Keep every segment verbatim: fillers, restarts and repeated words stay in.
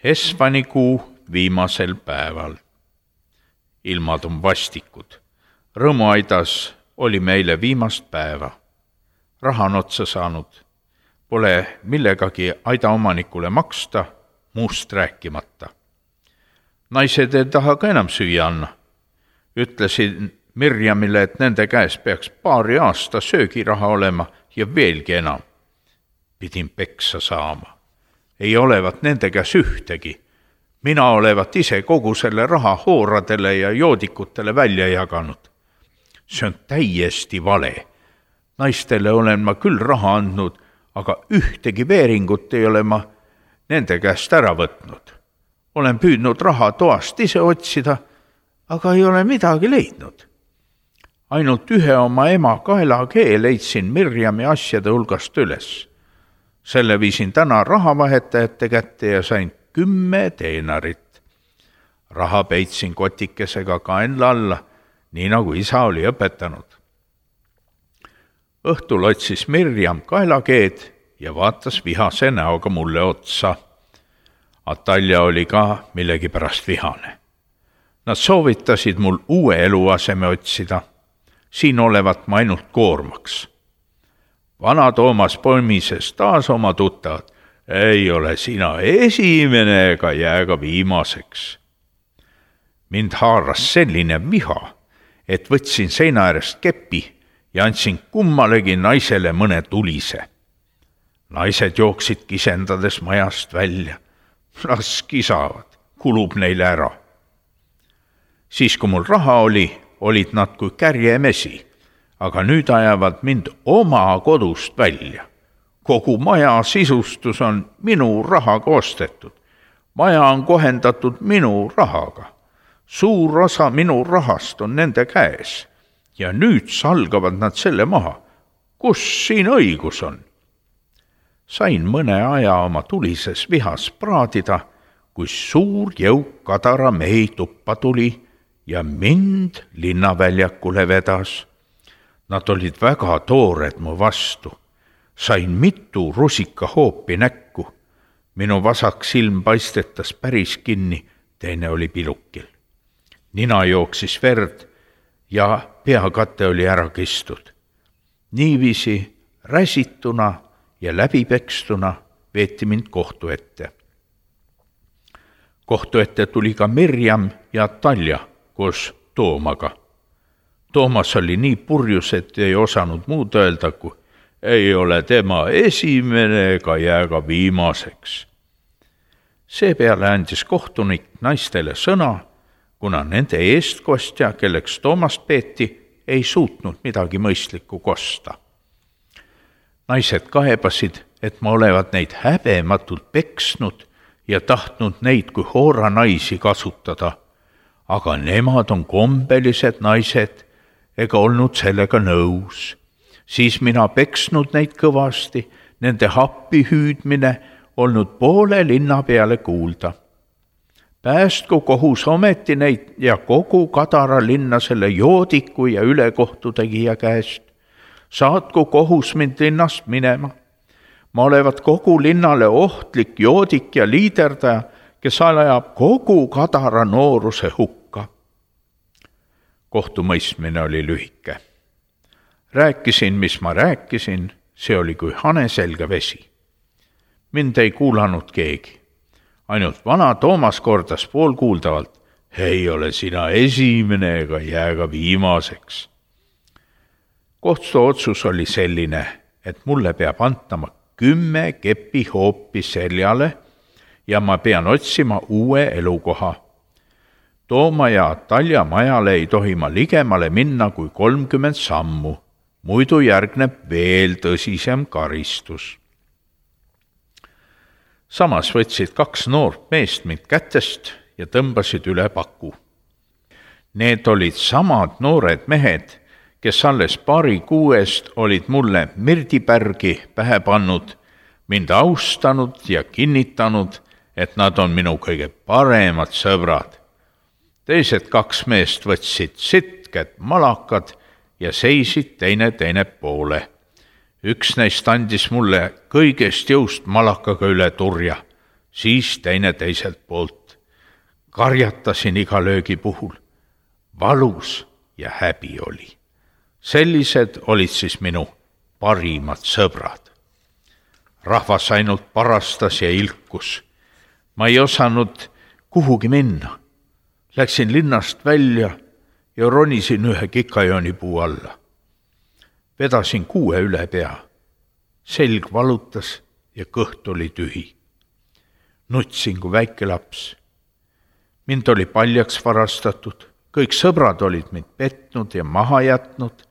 Hesvanikuu viimasel päeval. Ilmad on vastikud. Rõõmuaidas oli meile viimast päeva. Raha on otsa saanud. Pole millegagi aida omanikule maksta, muust rääkimata. Naised ei taha ka enam süüa anna. Ütlesin Mirjamile, et nende käes peaks paari aasta söögiraha olema ja veelgi enam. Pidin peksa saama. Ei olevat nende käes ühtegi. Mina olevat ise kogu selle raha hooradele ja joodikutele välja jaganud. See on täiesti vale. Naistele olen ma küll raha andnud, aga ühtegi veeringut ei ole ma nende käest ära võtnud. Olen püüdnud raha toast ise otsida, aga ei ole midagi leidnud. Ainult ühe oma ema kaelakee leidsin Mirjami asjade hulgast üles. Selle viisin täna rahavahetajate kätte ja sain kümme teenarit. Raha peitsin kotikesega kaenla alla, nii nagu isa oli õpetanud. Õhtul otsis Mirjam kaelakeed ja vaatas vihase näoga mulle otsa. Atalja oli ka millegi pärast vihane. Nad soovitasid mul uue eluaseme otsida. Siin olevat ma ainult koormaks. Vana Toomas poimises taas oma tuttavad. Ei ole sina esimene ega jää ka viimaseks. Mind haaras selline viha, et võtsin seina äärest kepi ja andsin kummalegi naisele mõne tulise. Naised jooksid kisendades majast välja. Las kisavad, kulub neile ära. Siis kui mul raha oli, olid nad kui kärjemesi, aga nüüd ajavad mind oma kodust välja. Kogu maja sisustus on minu rahaga ostetud. Maja on kohendatud minu rahaga. Suur osa minu rahast on nende käes. Ja nüüd salgavad nad selle maha. Kus siin õigus on? Sain mõne aja oma tulises vihas praadida, kui suur jõuk Kadara mehi tuppa tuli ja mind linnaväljakule vedas. Nad olid väga toored mu vastu. Sain mitu rusikahoopi näkku. Minu vasak silm paistetas päris kinni, teine oli pilukil. Nina jooksis verd ja peakate oli ära kistud. Niiviisi räsituna ja läbipekstuna veeti mind kohtu ette. Kohtu ette tuli ka Mirjam ja Talja koos Toomaga. Toomas oli nii purjus, et ei osanud muud öelda, kui ei ole tema esimene ega jää ka viimaseks. Seepeale andis kohtunik naistele sõna, kuna nende eestkostja, kelleks Toomast peeti, ei suutnud midagi mõistlikku kosta. Naised kaebasid, et ma olevat neid häbematult peksnud ja tahtnud neid kui hoora naisi kasutada, aga nemad on kombelised naised ega olnud sellega nõus. Siis mina peksnud neid kõvasti, nende happi hüüdmine olnud poole linna peale kuulda. Päästku kohus ometi neid ja kogu Kadara linna selle joodiku ja ülekohtutegija käest. Saatku kohus mind linnast minema. Ma olevat kogu linnale ohtlik joodik ja liiderdaja, kes ajab kogu Kadara nooruse hukka. Kohtumõistmine oli lühike. Rääkisin, mis ma rääkisin, see oli kui haneselga vesi. Mind ei kuulanud keegi. Ainult vana Toomas kordas poolkuuldavalt, ei ole sina esimene ega jää ka viimaseks. Kohtu otsus oli selline, et mulle peab antama kümme kepi hoopi seljale ja ma pean otsima uue elukoha. Tooma ja Talja majale ei tohi ma ligemale minna kui kolmkümmend sammu. Muidu järgneb veel tõsisem karistus. Samas võtsid kaks noort meest mind kätest ja tõmbasid üle paku. Need olid samad noored mehed, kes alles paari kuuest olid mulle Mirdipärgi pähe pannud, mind austanud ja kinnitanud, et nad on minu kõige paremad sõbrad. Teised kaks meest võtsid sitked malakad ja seisid teine teine poole. Üks neist andis mulle kõigest jõust malakaga üle turja. siis teine teiselt poolt. Karjatasin iga löögi puhul. Valus ja häbi oli. Sellised olid siis minu parimad sõbrad. Rahvas ainult parastas ja ilkus. Ma ei osanud kuhugi minna. Läksin linnast välja ja ronisin ühe kikajoonipuu alla. Vedasin kuue üle pea. Selg valutas ja kõht oli tühi. Nutsin kui väike laps. Mind oli paljaks varastatud. Kõik sõbrad olid mind petnud ja maha jätnud.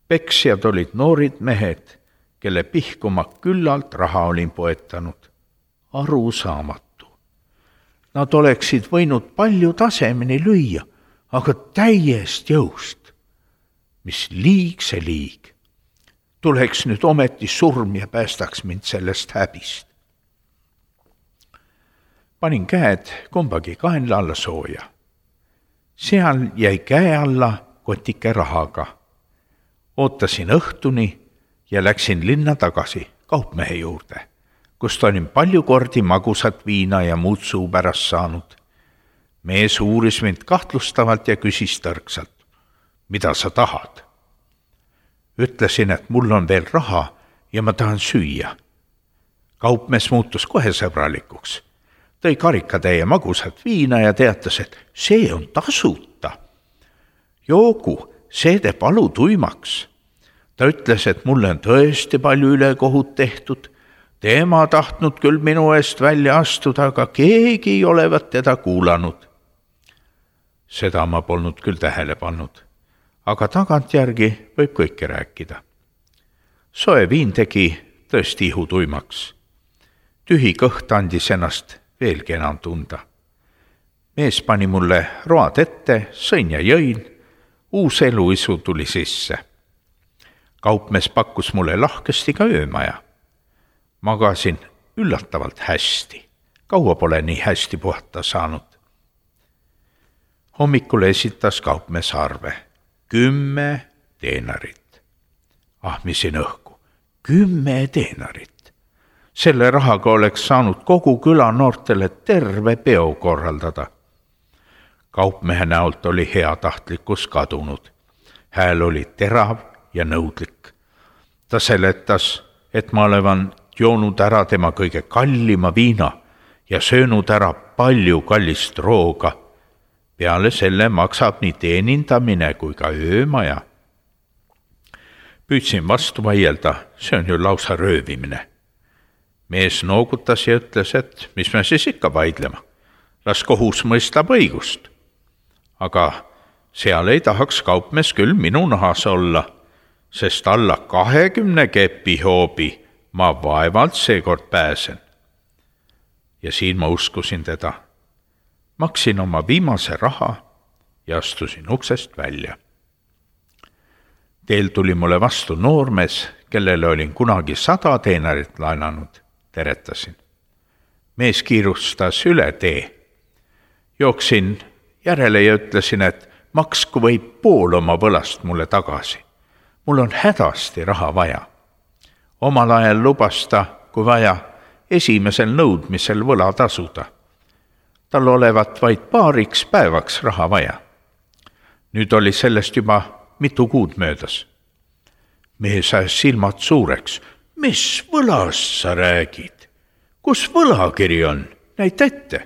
Peksjad olid noorid mehed, kelle pihku ma küllalt raha olin poetanud. Arusaamatu. Nad oleksid võinud palju tasemeni lüüa, aga täiest jõust. Mis liig see liig. Tuleks nüüd ometi surm ja päästaks mind sellest häbist. Panin käed kumbagi kaenla alla sooja. Seal jäi käe alla kotike rahaga. Ootasin õhtuni ja läksin linna tagasi kaupmehe juurde, kust olin palju kordi magusat viina ja muud suu pärast saanud. Mees uuris mind kahtlustavalt ja küsis tõrksalt, mida sa tahad? Ütlesin, et mul on veel raha ja ma tahan süüa. Kaupmees muutus kohe sõbralikuks. Tõi karikatäie magusat viina ja teatas, et see on tasuta. Joogu, see teeb alu tuimaks. Ta ütles, et mulle on tõesti palju ülekohut tehtud. Teema tahtnud küll minu eest välja astuda, aga keegi ei olevat teda kuulanud. Seda ma polnud küll tähele pannud, aga tagantjärgi võib kõike rääkida. Soe viin tegi tõesti ihu tuimaks. Tühi kõht andis ennast veelgi enam tunda. Mees pani mulle road ette, sõin ja jõin, uus eluisu tuli sisse. Kaupmees pakkus mulle lahkesti ka öömaja. Magasin üllatavalt hästi. Kaua pole nii hästi puhata saanud. Hommikul esitas kaupmees arve. Kümme teenarit. Ahmisin õhku. Kümme teenarit. Selle rahaga oleks saanud kogu küla noortele terve peo korraldada. Kaupmehe näolt oli heatahtlikkus kadunud. Hääl oli terav ja nõudlik. Ta seletas, et ma olevan joonud ära tema kõige kallima viina ja söönud ära palju kallist rooga. Peale selle maksab nii teenindamine kui ka öömaja. Püüdsin vastu vaielda, see on ju lausa röövimine. Mees noogutas ja ütles, et mis me siis ikka vaidlema. Las kohus mõistab õigust. Aga seal ei tahaks kaupmees küll minu nahas olla, sest alla kahekümne kepi hoobi ma vaevalt seekord pääsen. Ja siin ma uskusin teda. Maksin oma viimase raha ja astusin uksest välja. Teel tuli mulle vastu noormees, kellele olin kunagi sada teenarit laenanud. Teretasin. Mees kiirustas üle tee. Jooksin järele ja ütlesin, et maksku võib pool oma võlast mulle tagasi. Mul on hädasti raha vaja. Omal ajal lubas ta, kui vaja, esimesel nõudmisel võla tasuda. Tal olevat vaid paariks päevaks raha vaja. Nüüd oli sellest juba mitu kuud möödas. Mees ajas silmad suureks. Mis võlast sa räägid? Kus võlakiri on? Näita ette.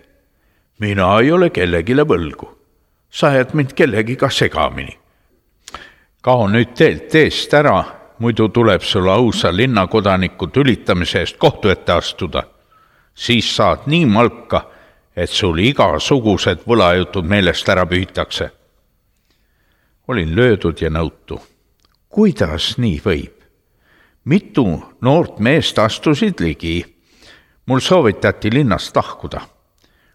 Mina ei ole kellegile võlgu. Sa jääd mind kellegiga segamini. Kao nüüd teelt eest ära, muidu tuleb sulle ausa linnakodaniku tülitamise eest kohtu ette astuda. Siis saad nii malka, et sul igasugused võlajutud meelest ära pühitakse. Olin löödud ja nõutu. Kuidas nii võib? Mitu noort meest astusid ligi. Mul soovitati linnast lahkuda.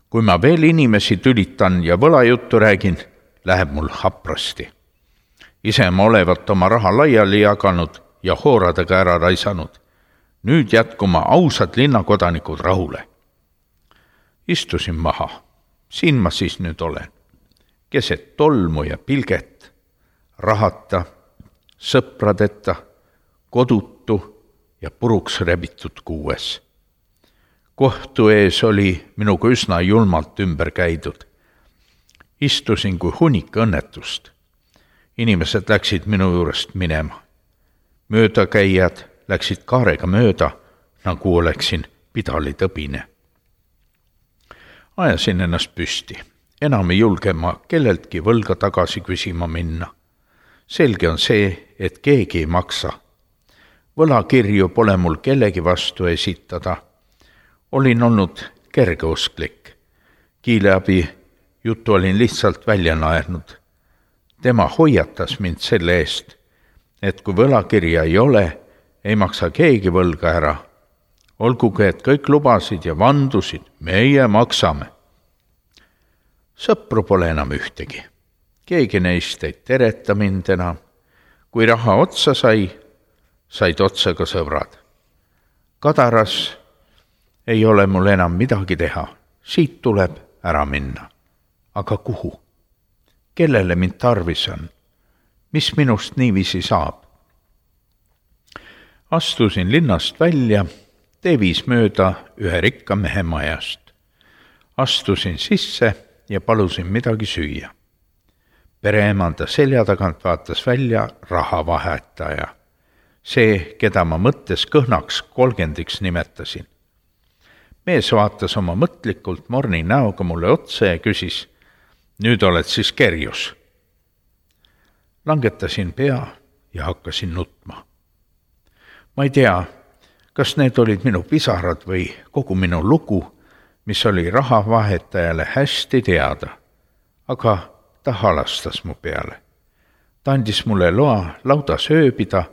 Kui ma veel inimesi tülitan ja võlajuttu räägin, läheb mul haprasti. Ise ma olevat oma raha laiali jaganud ja hooradega ära raisanud. Nüüd jätku ma ausad linnakodanikud rahule. Istusin maha. Siin ma siis nüüd olen. Keset tolmu ja pilget, rahata, sõpradeta, kodutu ja puruks rebitud kuues. kohtu ees oli minuga üsna julmalt ümber käidud. Istusin kui hunnik õnnetust. Inimesed läksid minu juurest minema. Möödakäijad läksid kaarega mööda, nagu oleksin pidalitõbine. Ajasin ennast püsti. Enam ei julge ma kelleltki võlga tagasi küsima minna. Selge on see, et keegi ei maksa. Võlakirju pole mul kellegi vastu esitada. Olin olnud kergeusklik. Kiileabi juttu olin lihtsalt välja naernud. Tema hoiatas mind selle eest, et kui võlakirja ei ole, ei maksa keegi võlga ära. Olgugi, et kõik lubasid ja vandusid, meie maksame. Sõpru pole enam ühtegi. Keegi neist ei tereta mind enam. Kui raha otsa sai, said otsa ka sõbrad. Kadaras ei ole mul enam midagi teha. Siit tuleb ära minna. Aga kuhu? Kellele mind tarvis on? Mis minust niiviisi saab? Astusin linnast välja, tee viis mööda ühe rikka mehe majast. Astusin sisse ja palusin midagi süüa. Pereemanda selja tagant vaatas välja rahavahetaja. See, keda ma mõttes kõhnaks kolgendiks nimetasin. Mees vaatas oma mõtlikult morni näoga mulle otsa ja küsis, nüüd oled siis kerjus. Langetasin pea ja hakkasin nutma. Ma ei tea, kas need olid minu pisarad või kogu minu lugu, mis oli rahavahetajale hästi teada, aga ta halastas mu peale. Ta andis mulle loa laudas ööbida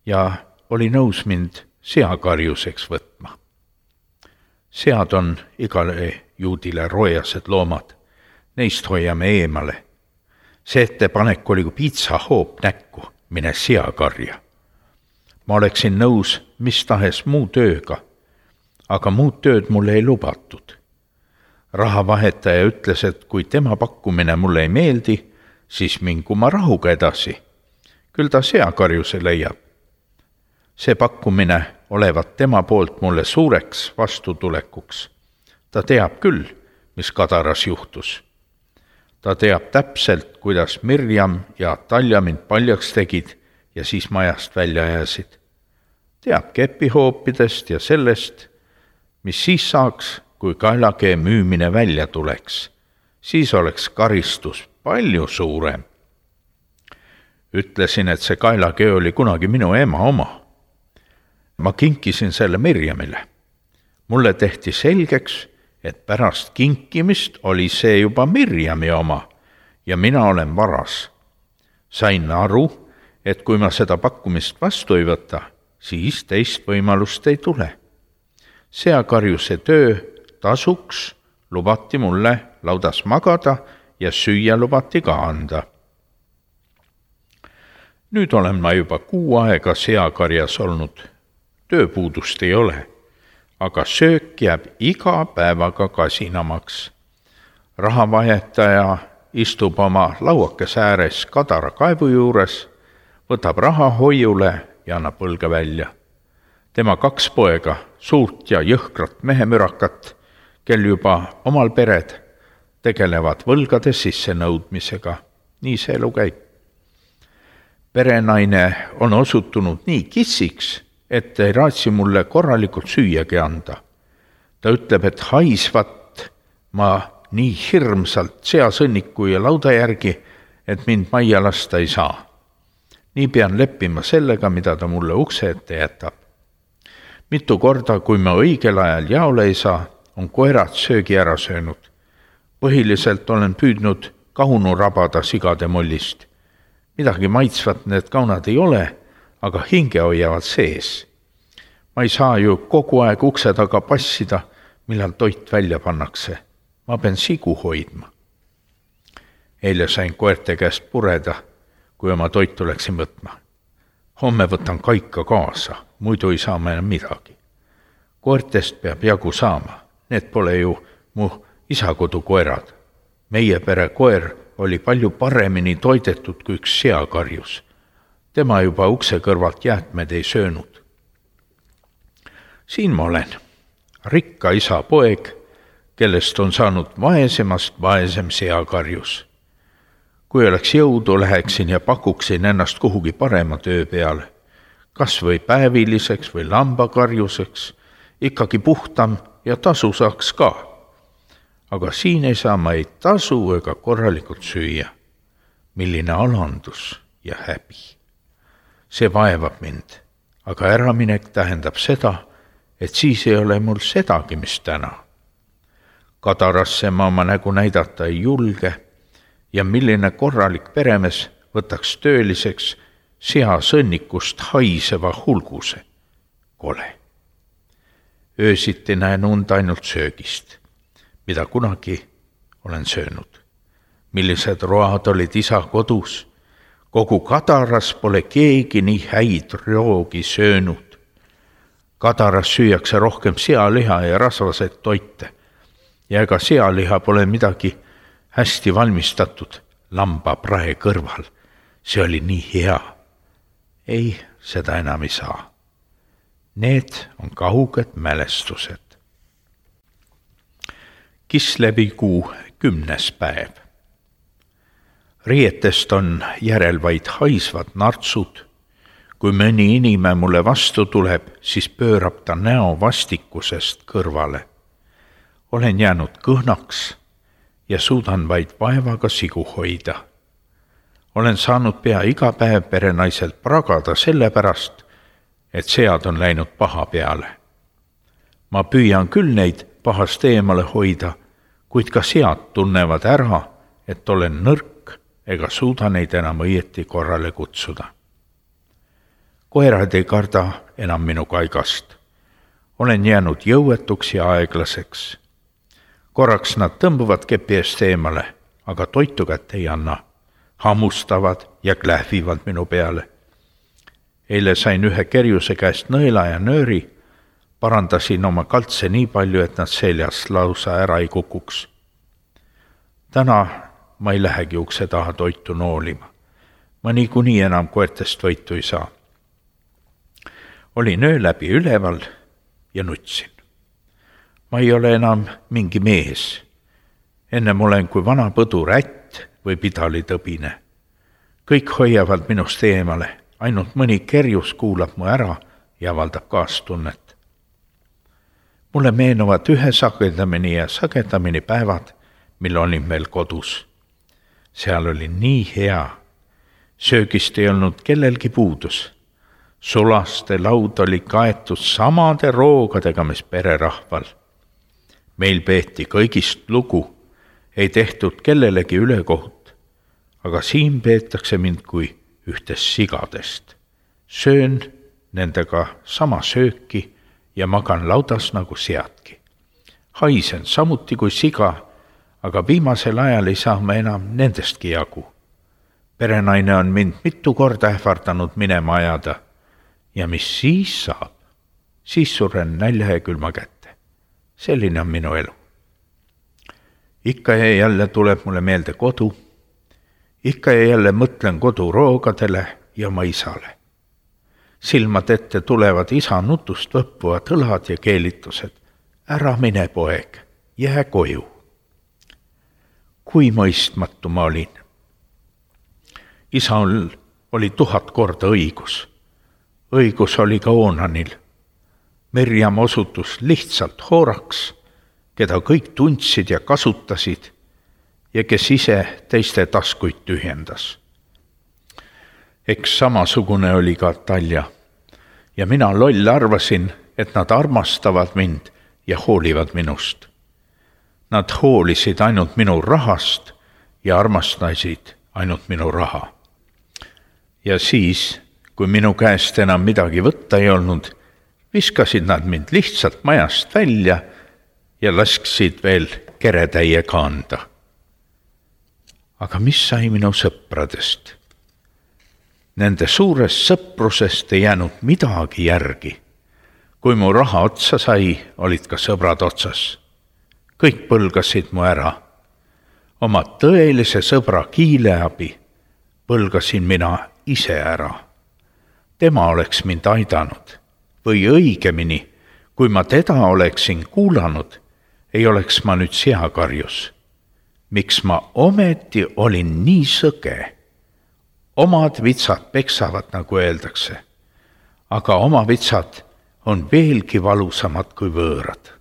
ja oli nõus mind seakarjuseks võtma. Sead on igale juudile roojased loomad, neist hoiame eemale. See ettepanek oli kui piitsahoop näkku, mine seakarja. Ma oleksin nõus mis tahes muu tööga, aga muud tööd mulle ei lubatud. Rahavahetaja ütles, et kui tema pakkumine mulle ei meeldi, siis mingu ma rahuga edasi. Küll ta seakarjuse leiab. See pakkumine olevat tema poolt mulle suureks vastutulekuks. Ta teab küll, mis Kadaras juhtus. Ta teab täpselt, kuidas Mirjam ja Talja mind paljaks tegid ja siis majast välja jääsid. Teab kepihoopidest ja sellest, mis siis saaks, kui kaelakee müümine välja tuleks. Siis oleks karistus palju suurem. Ütlesin, et see kaelakee oli kunagi minu ema oma. Ma kinkisin selle Mirjamile. Mulle tehti selgeks, et pärast kinkimist oli see juba Mirjami oma ja mina olen varas. Sain aru, et kui ma seda pakkumist vastu ei võta, siis teist võimalust ei tule. Seakarjuse töö tasuks lubati mulle laudas magada ja süüa lubati ka anda. Nüüd olen ma juba kuu aega seakarjas olnud. Tööpuudust ei ole, aga söök jääb iga päevaga kasinamaks. Rahavahetaja istub oma lauakese ääres Kadara kaevu juures, võtab raha hoiule ja annab võlga välja. Tema kaks poega, suurt ja jõhkrat mehemürakat, kel juba omal pered, tegelevad võlgade sissenõudmisega. Nii see elu käib. Perenaine on osutunud nii kissiks, et ei raatsi mulle korralikult süüagi anda. Ta ütleb, et haisvat ma nii hirmsalt seasõnniku ja lauda järgi, et mind majja lasta ei saa. Nii pean leppima sellega, mida ta mulle ukse ette jätab. Mitu korda, kui ma õigel ajal jaole ei saa, on koerad söögi ära söönud. Põhiliselt olen püüdnud kaunu rabada sigade mollist. Midagi maitsvat need kaunad ei ole, aga hinge hoiavad sees. Ma ei saa ju kogu aeg ukse taga passida, millal toit välja pannakse. Ma pean sigu hoidma. Eile sain koerte käest pureda, kui oma toitu läksin võtma. Homme võtan kaika kaasa, muidu ei saa ma enam midagi. Koertest peab jagu saama. Need pole ju mu isakodu koerad. Meie pere koer oli palju paremini toidetud kui üks seakarjus. Tema juba ukse kõrvalt jäätmed ei söönud. Siin ma olen. rikka isa poeg, kellest on saanud vaesemast vaesem seakarjus. Kui oleks jõudu, läheksin ja pakuksin ennast kuhugi parema töö peale, kas või päeviliseks või lambakarjuseks, ikkagi puhtam ja tasu saaks ka. Aga siin ei saa ma ei tasu ega korralikult süüa. Milline alandus ja häbi. See vaevab mind, aga äraminek tähendab seda, et siis ei ole mul sedagi, mis täna. Kadarasse ma oma nägu näidata ei julge ja milline korralik peremees võtaks tööliseks sea sõnnikust haiseva hulguse. Kole. Öösiti näen und ainult söögist, mida kunagi olen söönud. Millised road olid isa kodus. Kogu Kadaras pole keegi nii häid roogi söönud. Kadaras süüakse rohkem sealiha ja rasvaseid toite. Ja ega sealiha pole midagi hästi valmistatud lamba prae kõrval. See oli nii hea. Ei, seda enam ei saa. Need on kauged mälestused. Kislevikuu kümnes päev. Riietest on järel vaid haisvad nartsud. Kui mõni inime mulle vastu tuleb, siis pöörab ta näo vastikusest kõrvale. Olen jäänud kõhnaks ja suudan vaid vaevaga sigu hoida. Olen saanud pea iga päev perenaiselt pragada sellepärast, et sead on läinud paha peale. Ma püüan küll neid pahast eemale hoida, kuid ka sead tunnevad ära, et olen nõrk ega suuda neid enam õieti korrale kutsuda. Koerad ei karda enam minu kaigast. Olen jäänud jõuetuks ja aeglaseks. Korraks nad tõmbuvad kepi eest eemale, aga toitu kätte ei anna. Hammustavad ja klähvivad minu peale. Eile sain ühe kerjuse käest nõela ja nööri, parandasin oma kaltse nii palju, et nad seljas lausa ära ei kukuks. Täna ma ei lähegi ukse taha toitu noolima. Ma niikuinii enam koertest võitu ei saa. Olin öö läbi üleval ja nutsin. Ma ei ole enam mingi mees. Ennem olen kui vana põdur ätt või pidalitõbine. Kõik hoiavad minust eemale, ainult mõni kerjus kuulab mu ära ja avaldab kaastunnet. Mulle meenuvad ühe sagedamini ja sagedamini päevad, mil olin veel kodus. Seal oli nii hea. Söögist ei olnud kellelgi puudus. Sulaste laud oli kaetud samade roogadega, mis pererahval. Meil peeti kõigist lugu, ei tehtud kellelegi ülekohut, aga siin peetakse mind kui ühtest sigadest. Söön nendega sama sööki ja magan laudas nagu seadki. Haisen samuti kui siga, aga viimasel ajal ei saa ma enam nendestki jagu. Perenaine on mind mitu korda ähvardanud minema ajada ja mis siis saab? Siis suren nälja ja külma kätte. Selline on minu elu. Ikka ja jälle tuleb mulle meelde kodu. Ikka ja jälle mõtlen kodu roogadele ja oma isale. Silmad ette tulevad isa nutust võppuvad õlad ja keelitused. Ära mine, poeg, jää koju. Kui mõistmatu ma olin. Isal oli tuhat korda õigus. Õigus oli ka Oonanil. Merjam osutus lihtsalt hooraks, keda kõik tundsid ja kasutasid ja kes ise teiste taskuid tühjendas. Eks samasugune oli ka Talja ja mina loll arvasin, et nad armastavad mind ja hoolivad minust. Nad hoolisid ainult minu rahast ja armastasid ainult minu raha. Ja siis, kui minu käest enam midagi võtta ei olnud, viskasid nad mind lihtsalt majast välja ja lasksid veel keretäie kanda. Aga mis sai minu sõpradest? Nende suurest sõprusest ei jäänud midagi järgi. Kui mu raha otsa sai, olid ka sõbrad otsas. Kõik põlgasid mu ära. Oma tõelise sõbra Kiileabi põlgasin mina ise ära. Tema oleks mind aidanud või õigemini, kui kui ma teda oleksin kuulanud, ei oleks ma nüüd seakarjus. Miks ma ometi olin nii sõge? Omad vitsad peksavad, nagu öeldakse, aga oma vitsad on veelgi valusamad kui võõrad.